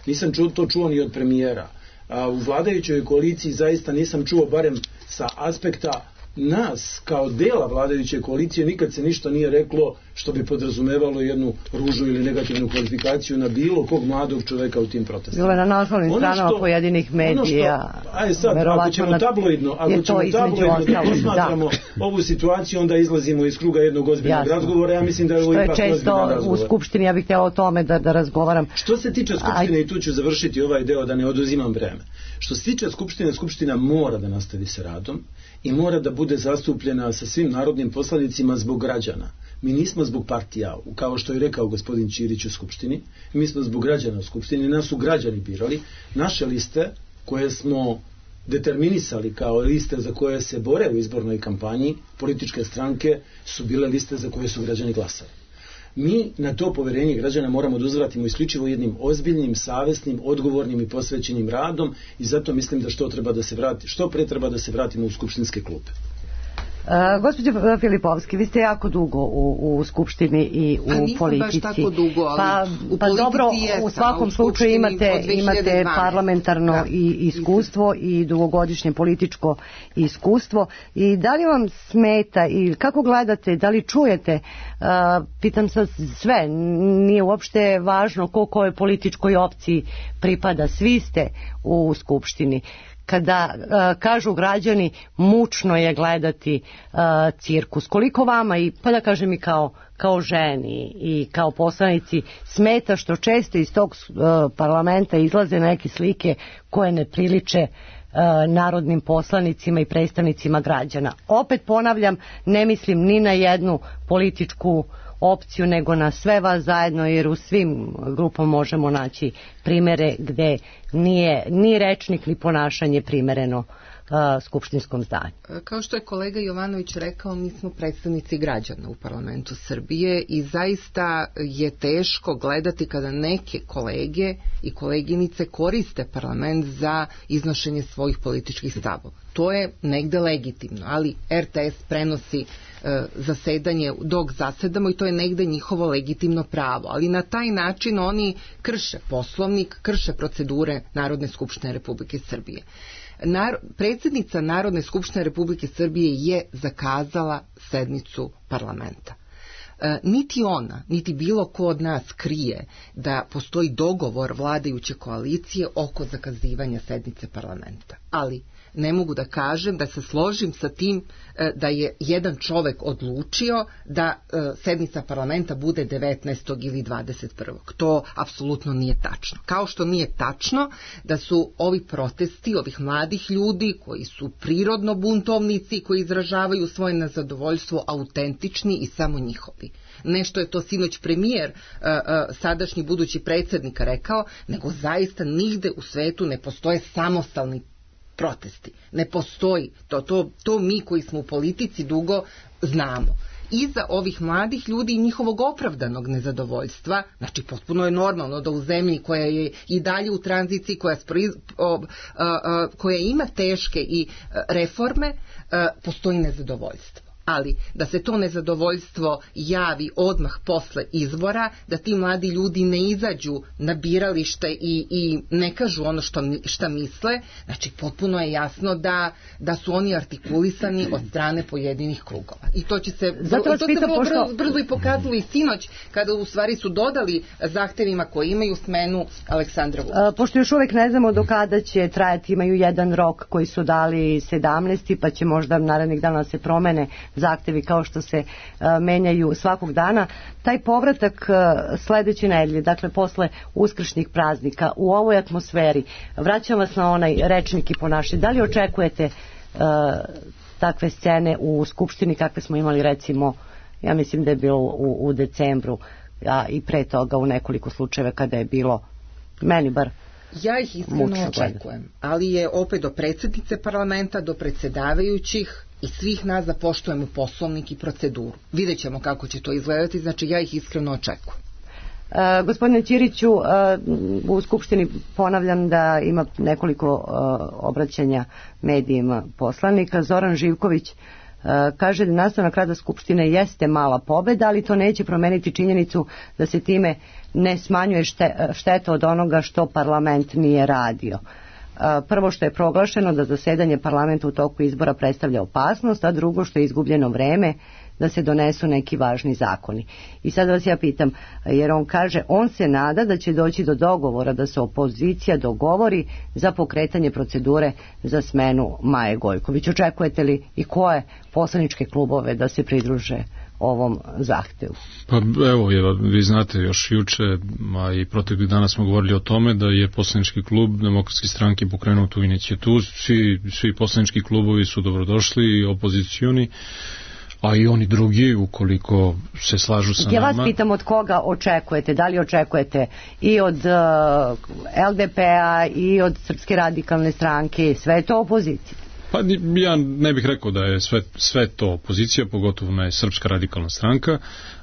Nisam čuo, to čuo ni od premijera. A u vladajućoj koaliciji zaista nisam čuo, barem sa aspekta nas kao dela vladajuće koalicije, nikad se ništa nije reklo što bi podrazumevalo jednu ružnu ili negativnu kvalifikaciju na bilo kog mladog čoveka u tim protestima. Bilo je na naslovnim stranama pojedinih medija. Što, aj sad, ako ćemo tabloidno, ako ćemo tabloidno da posmatramo da. ovu situaciju, onda izlazimo iz kruga jednog ozbiljnog Jasno. razgovora. Ja mislim da je ovo ipak ozbiljan razgovor. Što je često u Skupštini, ja bih htjela o tome da, da razgovaram. Što se tiče Skupštine, Aj. i tu ću završiti ovaj deo da ne oduzimam vreme. Što se tiče Skupštine, Skupština mora da nastavi sa radom i mora da bude zastupljena sa svim narodnim poslanicima zbog građana. Mi nismo zbog partija, kao što je rekao gospodin Ćirić u Skupštini, mi smo zbog građana u Skupštini, nas su građani birali. Naše liste koje smo determinisali kao liste za koje se bore u izbornoj kampanji, političke stranke, su bile liste za koje su građani glasali. Mi na to poverenje građana moramo da uzvratimo isključivo jednim ozbiljnim, savesnim, odgovornim i posvećenim radom, i zato mislim da što treba da se vrati, što pre treba da se vratimo u skupštinske klupe. Uh, gospođo Filipovski, vi ste jako dugo u, u Skupštini i u A politici. Baš tako dugo, ali pa, u pa dobro, jesam, u svakom u slučaju imate, imate parlamentarno da. i iskustvo i dugogodišnje političko iskustvo. I da li vam smeta i kako gledate, da li čujete, uh, pitam sad sve, nije uopšte važno ko kojoj političkoj opciji pripada, svi ste u Skupštini. Kada uh, kažu građani mučno je gledati uh, cirkus, koliko vama i pa da kažem i kao, kao ženi i kao poslanici smeta što često iz tog uh, parlamenta izlaze neke slike koje ne priliče uh, narodnim poslanicima i predstavnicima građana. Opet ponavljam, ne mislim ni na jednu političku opciju, nego na sve vas zajedno, jer u svim grupama možemo naći primere gde nije ni rečnik ni ponašanje primereno uh, skupštinskom zdanju. Kao što je kolega Jovanović rekao, mi smo predstavnici građana u parlamentu Srbije i zaista je teško gledati kada neke kolege i koleginice koriste parlament za iznošenje svojih političkih stavova. To je negde legitimno, ali R T S prenosi e, zasedanje dok zasedamo i to je negde njihovo legitimno pravo, ali na taj način oni krše poslovnik, krše procedure Narodne skupštine Republike Srbije. Nar- predsjednica Narodne skupštine Republike Srbije je zakazala sednicu parlamenta. E, niti ona, niti bilo ko od nas krije da postoji dogovor vladajuće koalicije oko zakazivanja sednice parlamenta. Ali ne mogu da kažem da se složim sa tim e, da je jedan čovek odlučio da e, sednica parlamenta bude devetnaestog ili dvadeset prvog To apsolutno nije tačno. Kao što nije tačno da su ovi protesti ovih mladih ljudi koji su prirodno buntovnici, koji izražavaju svoje nezadovoljstvo, autentični i samo njihovi. Nešto je to sinoć premijer, sadašnji budući predsjednika rekao, nego zaista nigde u svetu ne postoje samostalni protesti. Ne postoji. To, to, to mi koji smo u politici dugo znamo. Iza ovih mladih ljudi i njihovog opravdanog nezadovoljstva, znači potpuno je normalno da u zemlji koja je i dalje u tranziciji, koja, spriz, o, a, a, koja ima teške i reforme, a, postoji nezadovoljstvo. ali da se to nezadovoljstvo javi odmah posle izbora, da ti mladi ljudi ne izađu na biralište i, i ne kažu ono što, šta misle, znači potpuno je jasno da, da su oni artikulisani od strane pojedinih krugova. I to će se, Zato to se vrlo pošto... brzo, brzo i pokazalo i sinoć, kada u stvari su dodali zahtevima koji imaju smenu Aleksandra Vučića. Pošto još uvek ne znamo do kada će trajati, imaju jedan rok koji su dali sedamnaesti, pa će možda narednih dana se promene zahtevi kao što se uh, menjaju svakog dana. Taj povratak uh, sledeće nedelje, dakle posle uskršnjih praznika, u ovoj atmosferi, vraćam vas na onaj rečnik i ponašanje. Da li očekujete uh, takve scene u Skupštini kakve smo imali recimo, ja mislim da je bilo u, u decembru, a i pre toga u nekoliko slučajeva kada je bilo, meni bar, ja ih iskreno očekujem, ali je opet do predsjednice parlamenta, do predsjedavajućih i svih nas da poštujemo poslovnik i proceduru. Vidjet ćemo kako će to izgledati, znači ja ih iskreno očekujem. Uh, gospodine Ćiriću, uh, u Skupštini ponavljam da ima nekoliko uh, obraćanja medijima poslanika. Zoran Živković uh, kaže da nastavak rada Skupštine jeste mala pobeda, ali to neće promeniti činjenicu da se time ne smanjuje šte, šteta od onoga što parlament nije radio. Uh, prvo što je proglašeno da zasedanje parlamenta u toku izbora predstavlja opasnost, a drugo što je izgubljeno vreme da se donesu neki važni zakoni. I sad vas ja pitam, jer on kaže, on se nada da će doći do dogovora, da se opozicija dogovori za pokretanje procedure za smenu Maje Gojković. Očekujete li i koje poslaničke klubove da se pridruže ovom zahtevu? Pa evo, je, vi znate, još juče, a i proteklih dana smo govorili o tome da je poslanički klub Demokratske stranke pokrenuo tu inicijativu. Svi, svi poslanički klubovi su dobrodošli, opozicioni, a i oni drugi, ukoliko se slažu sa ja nama. Ja vas pitam od koga očekujete, da li očekujete i od uh, L D P-a i od Srpske radikalne stranke, sve je to opozicija? Pa ja ne bih rekao da je sve, sve to opozicija, pogotovo ne Srpska radikalna stranka,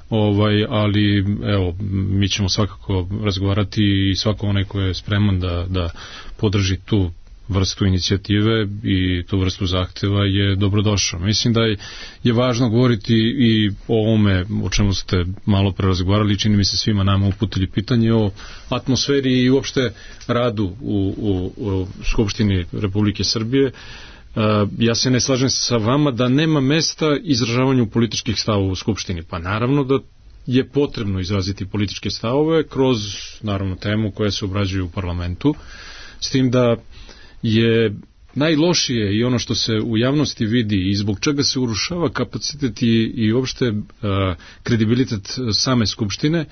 ovaj, ali evo, mi ćemo svakako razgovarati i svako onaj ko je spreman da, da podrži tu vrstu inicijative i tu vrstu zahteva je dobrodošao. Mislim da je, je važno govoriti i o ovome o čemu ste malo pre razgovarali, čini mi se svima nama uputili pitanje o atmosferi i uopšte radu u, u, u Skupštini Republike Srbije. Uh, ja se ne slažem sa vama da nema mesta izražavanju političkih stavova u Skupštini. Pa naravno da je potrebno izraziti političke stavove kroz, naravno, temu koja se obrađuje u parlamentu, s tim da je najlošije i ono što se u javnosti vidi i zbog čega se urušava kapacitet i, i uopšte uh, kredibilitet same Skupštine,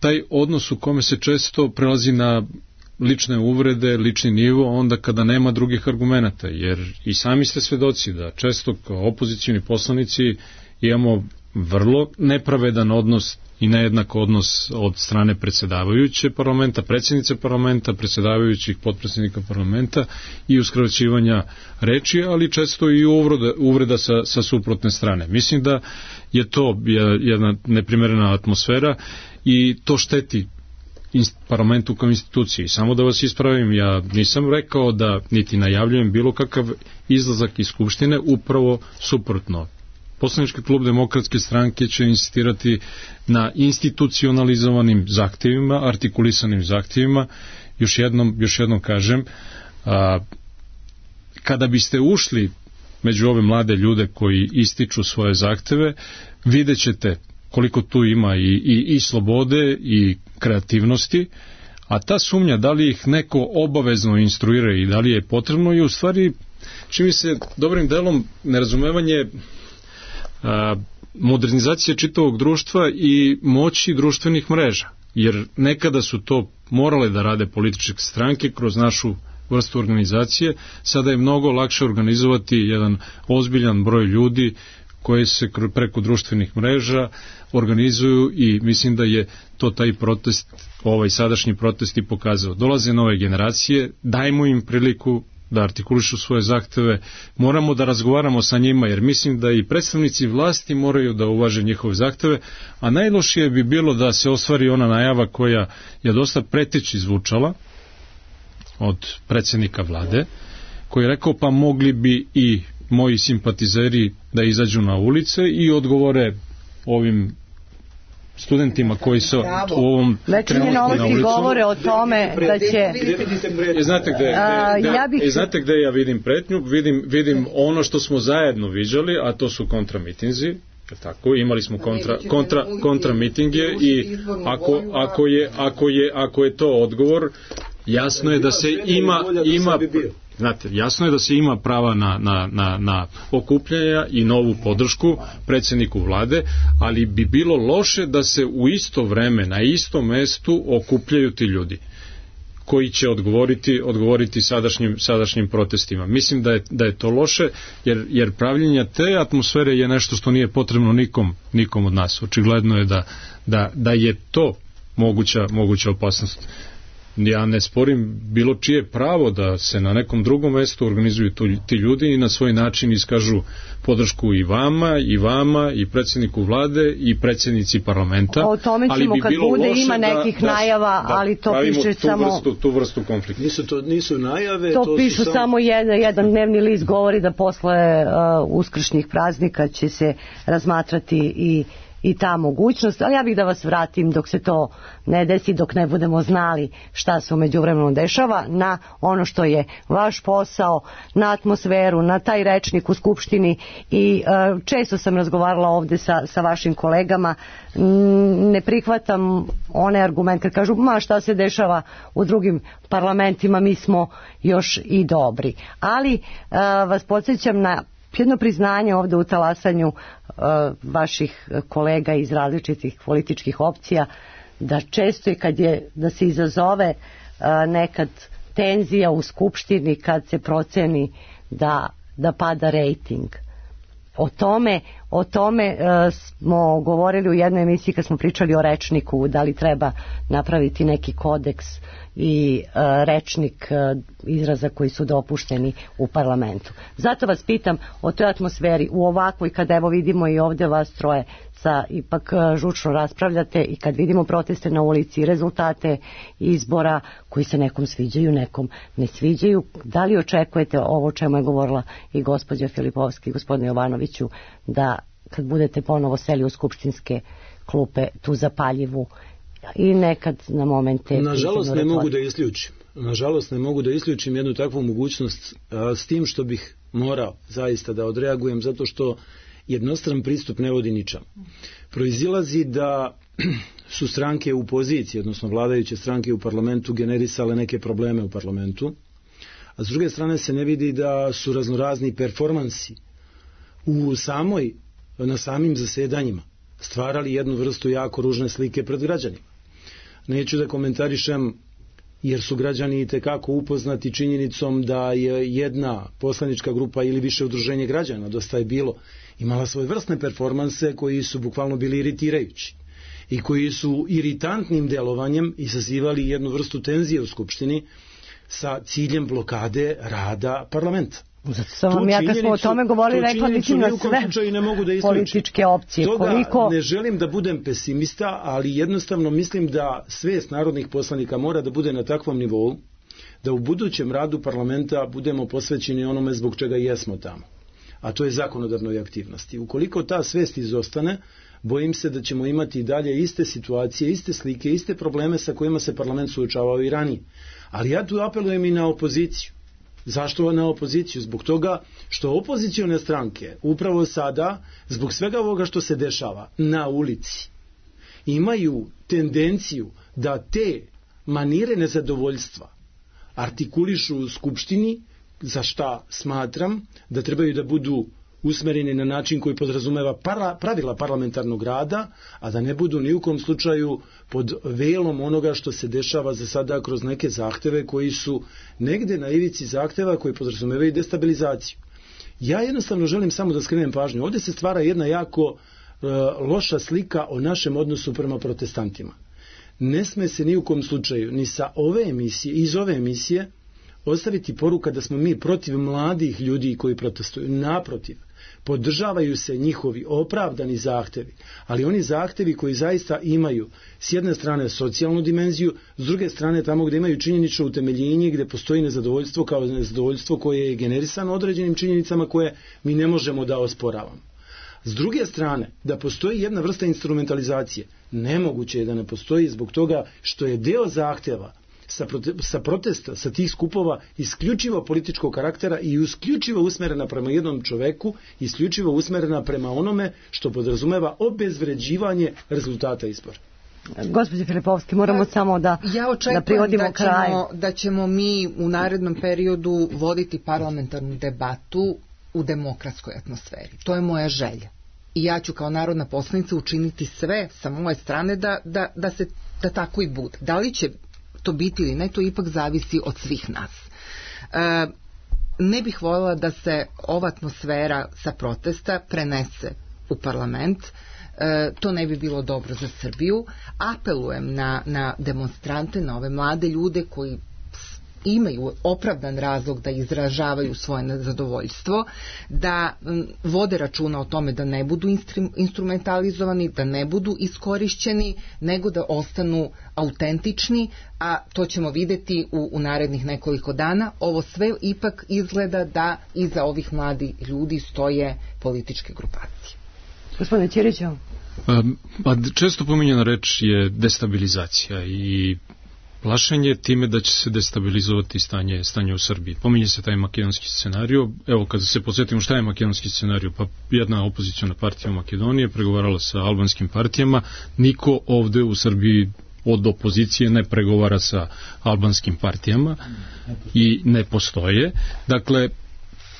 taj odnos u kome se često prelazi na lične uvrede, lični nivo, onda kada nema drugih argumenata, jer i sami ste svedoci da često kao opozicijni poslanici imamo vrlo nepravedan odnos i nejednak odnos od strane predsjedavajuće parlamenta, predsjednice parlamenta, predsjedavajućih potpredsjednika parlamenta i uskraćivanja reči, ali često i uvreda, uvreda sa, sa suprotne strane. Mislim da je to jedna neprimerena atmosfera i to šteti parlamentu kao instituciji. Samo da vas ispravim, ja nisam rekao da niti najavljujem bilo kakav izlazak iz Skupštine, upravo suprotno. Poslanički klub Demokratske stranke će insistirati na institucionalizovanim zahtjevima, artikulisanim zahtjevima. Još jednom, još jednom kažem, a, kada biste ušli među ove mlade ljude koji ističu svoje zahtjeve, vidjet ćete koliko tu ima i, i, i slobode i kreativnosti, a ta sumnja da li ih neko obavezno instruira i da li je potrebno je u stvari, čini se dobrim delom nerazumevanje a, modernizacije čitavog društva i moći društvenih mreža, jer nekada su to morale da rade političke stranke kroz našu vrstu organizacije, sada je mnogo lakše organizovati jedan ozbiljan broj ljudi koje se preko društvenih mreža organizuju i mislim da je to taj protest, ovaj sadašnji protest i pokazao. Dolaze nove generacije, dajmo im priliku da artikulišu svoje zahteve, moramo da razgovaramo sa njima, jer mislim da i predstavnici vlasti moraju da uvaže njihove zahteve, a najlošije bi bilo da se ostvari ona najava koja je dosta preteći zvučala od predsjednika vlade, koji je rekao pa mogli bi i moji simpatizeri da izađu na ulice i odgovore ovim studentima koji su u ovom trenutku na ulicu. Govore o tome da će... I znate gde, A, gde, ja bih... i znate gde ja vidim pretnju? Vidim, vidim ono što smo zajedno viđali, a to su kontramitinzi. Tako, imali smo kontra, kontra, kontra mitinge i ako, ako, je, ako, je, ako je to odgovor, jasno je da se ima, ima znate, jasno je da se ima prava na, na, na, na okupljanja i novu podršku predsjedniku vlade, ali bi bilo loše da se u isto vreme na istom mestu okupljaju ti ljudi koji će odgovoriti odgovoriti sadašnjim sadašnjim protestima. Mislim da je da je to loše jer jer pravljenje te atmosfere je nešto što nije potrebno nikom nikom od nas. Očigledno je da da da je to moguća moguća opasnost. Ja ne sporim bilo čije pravo da se na nekom drugom mestu organizuju ti ljudi i na svoj način iskažu podršku i vama, i vama, i predsjedniku vlade, i predsjednici parlamenta. O tome ćemo bi kad bude, ima nekih da, najava, da, ali to piše tu samo... Vrstu, tu vrstu konflikta. Nisu, to, nisu najave... To, to pišu su samo, samo jedan, jedan dnevni list govori da posle uh, uskršnjih praznika će se razmatrati i i ta mogućnost, ali ja bih da vas vratim dok se to ne desi, dok ne budemo znali šta se u međuvremenu dešava, na ono što je vaš posao, na atmosferu, na taj rečnik u Skupštini i uh, često sam razgovarala ovde sa, sa vašim kolegama, ne prihvatam one argumente kad kažu ma šta se dešava u drugim parlamentima, mi smo još i dobri. Ali uh, vas podsjećam na jedno priznanje ovde u talasanju uh, vaših kolega iz različitih političkih opcija, da često i kad je, da se izazove uh, nekad tenzija u Skupštini kad se proceni da, da pada rejting. O tome, o tome uh, smo govorili u jednoj emisiji kad smo pričali o rečniku, da li treba napraviti neki kodeks i uh, rečnik uh, izraza koji su dopušteni u parlamentu. Zato vas pitam o toj atmosferi u ovakvoj, kada evo vidimo i ovdje vas troje sa ipak uh, žučno raspravljate i kad vidimo proteste na ulici, rezultate izbora koji se nekom sviđaju, nekom ne sviđaju, da li očekujete ovo o čemu je govorila i gospođa Filipovski i gospodin Jovanoviću, da kad budete ponovo seli u skupštinske klupe tu zapaljivu i nekad na momente... Nažalost ne mogu da isključim. Nažalost ne mogu da isključim jednu takvu mogućnost a, s tim što bih morao zaista da odreagujem zato što jednostran pristup ne vodi ničemu. Proizilazi da su stranke u poziciji, odnosno vladajuće stranke u parlamentu generisale neke probleme u parlamentu, a s druge strane se ne vidi da su raznorazni performansi u samoj, na samim zasedanjima stvarali jednu vrstu jako ružne slike pred građanima. Neću da komentarišem jer su građani itekako upoznati činjenicom da je jedna poslanička grupa ili više udruženje građana, dosta je bilo, imala svoje vrstne performanse koji su bukvalno bili iritirajući i koji su iritantnim delovanjem izazivali jednu vrstu tenzije u Skupštini sa ciljem blokade rada parlamenta. Zato sam vam ja kad smo o tome govorili rekla mislim na sve ne mogu da političke opcije. Toga koliko... ne želim da budem pesimista, ali jednostavno mislim da svest narodnih poslanika mora da bude na takvom nivou da u budućem radu parlamenta budemo posvećeni onome zbog čega jesmo tamo, a to je zakonodavnoj aktivnosti. Ukoliko ta svest izostane, bojim se da ćemo imati i dalje iste situacije, iste slike, iste probleme sa kojima se parlament suočavao i ranije. Ali ja tu apelujem i na opoziciju. Zašto na opoziciju? Zbog toga što opozicione stranke upravo sada, zbog svega ovoga što se dešava na ulici, imaju tendenciju da te manire nezadovoljstva artikulišu u Skupštini, za šta smatram da trebaju da budu usmereni na način koji podrazumeva para, pravila parlamentarnog rada, a da ne budu ni u kom slučaju pod velom onoga što se dešava za sada kroz neke zahteve koji su negde na ivici zahteva koji podrazumevaju destabilizaciju. Ja jednostavno želim samo da skrenem pažnju. Ovdje se stvara jedna jako e, loša slika o našem odnosu prema protestantima. Ne sme se ni u kom slučaju, ni sa ove emisije, iz ove emisije, ostaviti poruka da smo mi protiv mladih ljudi koji protestuju. Naprotiv, podržavaju se njihovi opravdani zahtevi, ali oni zahtevi koji zaista imaju s jedne strane socijalnu dimenziju, s druge strane tamo gdje imaju činjenično utemeljenje, gdje postoji nezadovoljstvo kao nezadovoljstvo koje je generisano određenim činjenicama koje mi ne možemo da osporavamo. S druge strane, da postoji jedna vrsta instrumentalizacije, nemoguće je da ne postoji zbog toga što je deo zahtjeva sa, prote, sa protesta, sa tih skupova isključivo političkog karaktera i isključivo usmerena prema jednom čoveku, isključivo usmerena prema onome što podrazumeva obezvređivanje rezultata izbora. Gospođe Filipovski, moramo samo da, ja da privodimo da kraj. ćemo, da ćemo mi u narednom periodu voditi parlamentarnu debatu u demokratskoj atmosferi. To je moja želja. I ja ću kao narodna poslanica učiniti sve sa moje strane da, da, da, se, da tako i bude. Da li će to biti ili ne, to ipak zavisi od svih nas. E, ne bih voljela da se ova atmosfera sa protesta prenese u parlament. E, to ne bi bilo dobro za Srbiju. Apelujem na, na demonstrante, na ove mlade ljude koji imaju opravdan razlog da izražavaju svoje nezadovoljstvo, da m, vode računa o tome da ne budu instru, instrumentalizovani, da ne budu iskorišćeni, nego da ostanu autentični, a to ćemo vidjeti u, u narednih nekoliko dana. Ovo sve ipak izgleda da iza ovih mladih ljudi stoje političke grupacije. Gospodine Ćiriću? Pa često pominjena reč je destabilizacija i plašenje time da će se destabilizovati stanje, stanje u Srbiji. Pominje se taj makedonski scenario. Evo, kada se podsjetimo šta je makedonski scenario, pa jedna opoziciona partija u Makedoniji pregovarala sa albanskim partijama. Niko ovde u Srbiji od opozicije ne pregovara sa albanskim partijama i ne postoje. Dakle,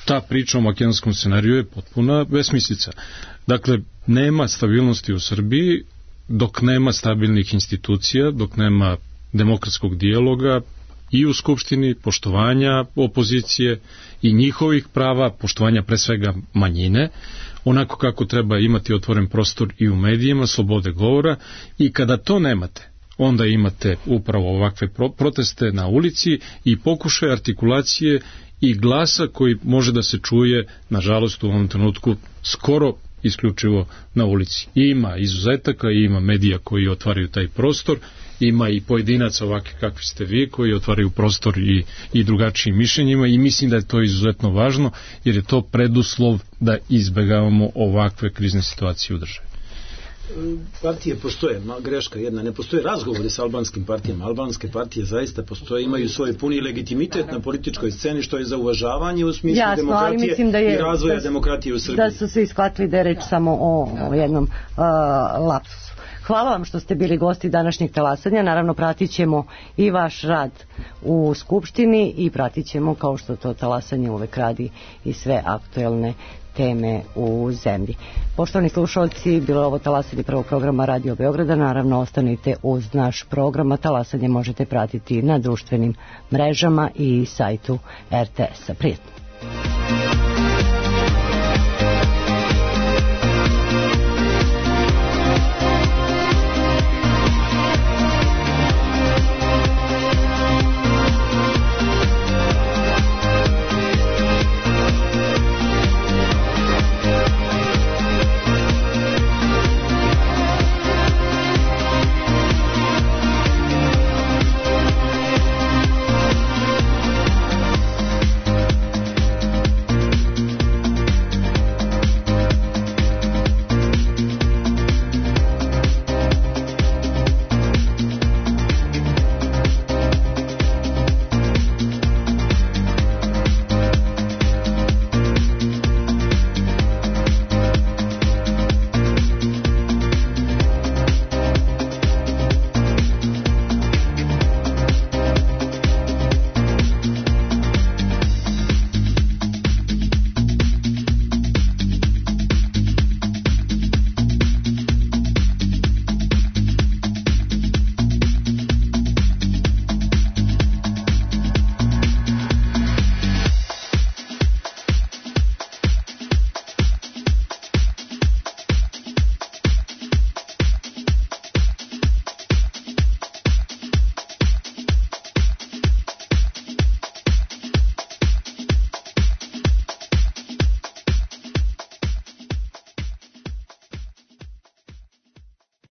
ta priča o makedonskom scenariju je potpuna besmislica. Dakle, nema stabilnosti u Srbiji dok nema stabilnih institucija, dok nema demokratskog dijaloga i u Skupštini, poštovanja opozicije i njihovih prava, poštovanja pre svega manjine, onako kako treba imati otvoren prostor i u medijima, slobode govora, i kada to nemate, onda imate upravo ovakve proteste na ulici i pokušaj artikulacije i glasa koji može da se čuje, nažalost u ovom trenutku, skoro isključivo na ulici. I ima izuzetaka, i ima medija koji otvaraju taj prostor, ima i pojedinaca ovakvi kakvi ste vi koji otvaraju prostor i, i drugačijim mišljenjima, i mislim da je to izuzetno važno jer je to preduslov da izbegavamo ovakve krizne situacije u državi. Partije postoje, greška jedna, ne postoje razgovori sa albanskim partijama. Albanske partije zaista postoje, imaju svoj puni legitimitet na političkoj sceni, što je za uvažavanje u smislu Jasno, demokratije da je, i razvoja da, demokratije u Srbiji. Da su svi shvatili da je reč samo o, o jednom uh, lapsusu. Hvala vam što ste bili gosti današnjeg talasanja. Naravno, pratit ćemo i vaš rad u Skupštini i pratit ćemo, kao što to talasanje uvek radi, i sve aktuelne teme u zemlji. Poštovani slušalci, bilo je ovo talasanje prvog programa Radio Beograda. Naravno, ostanite uz naš program, a talasanje možete pratiti na društvenim mrežama i sajtu er te es a. Prijetno.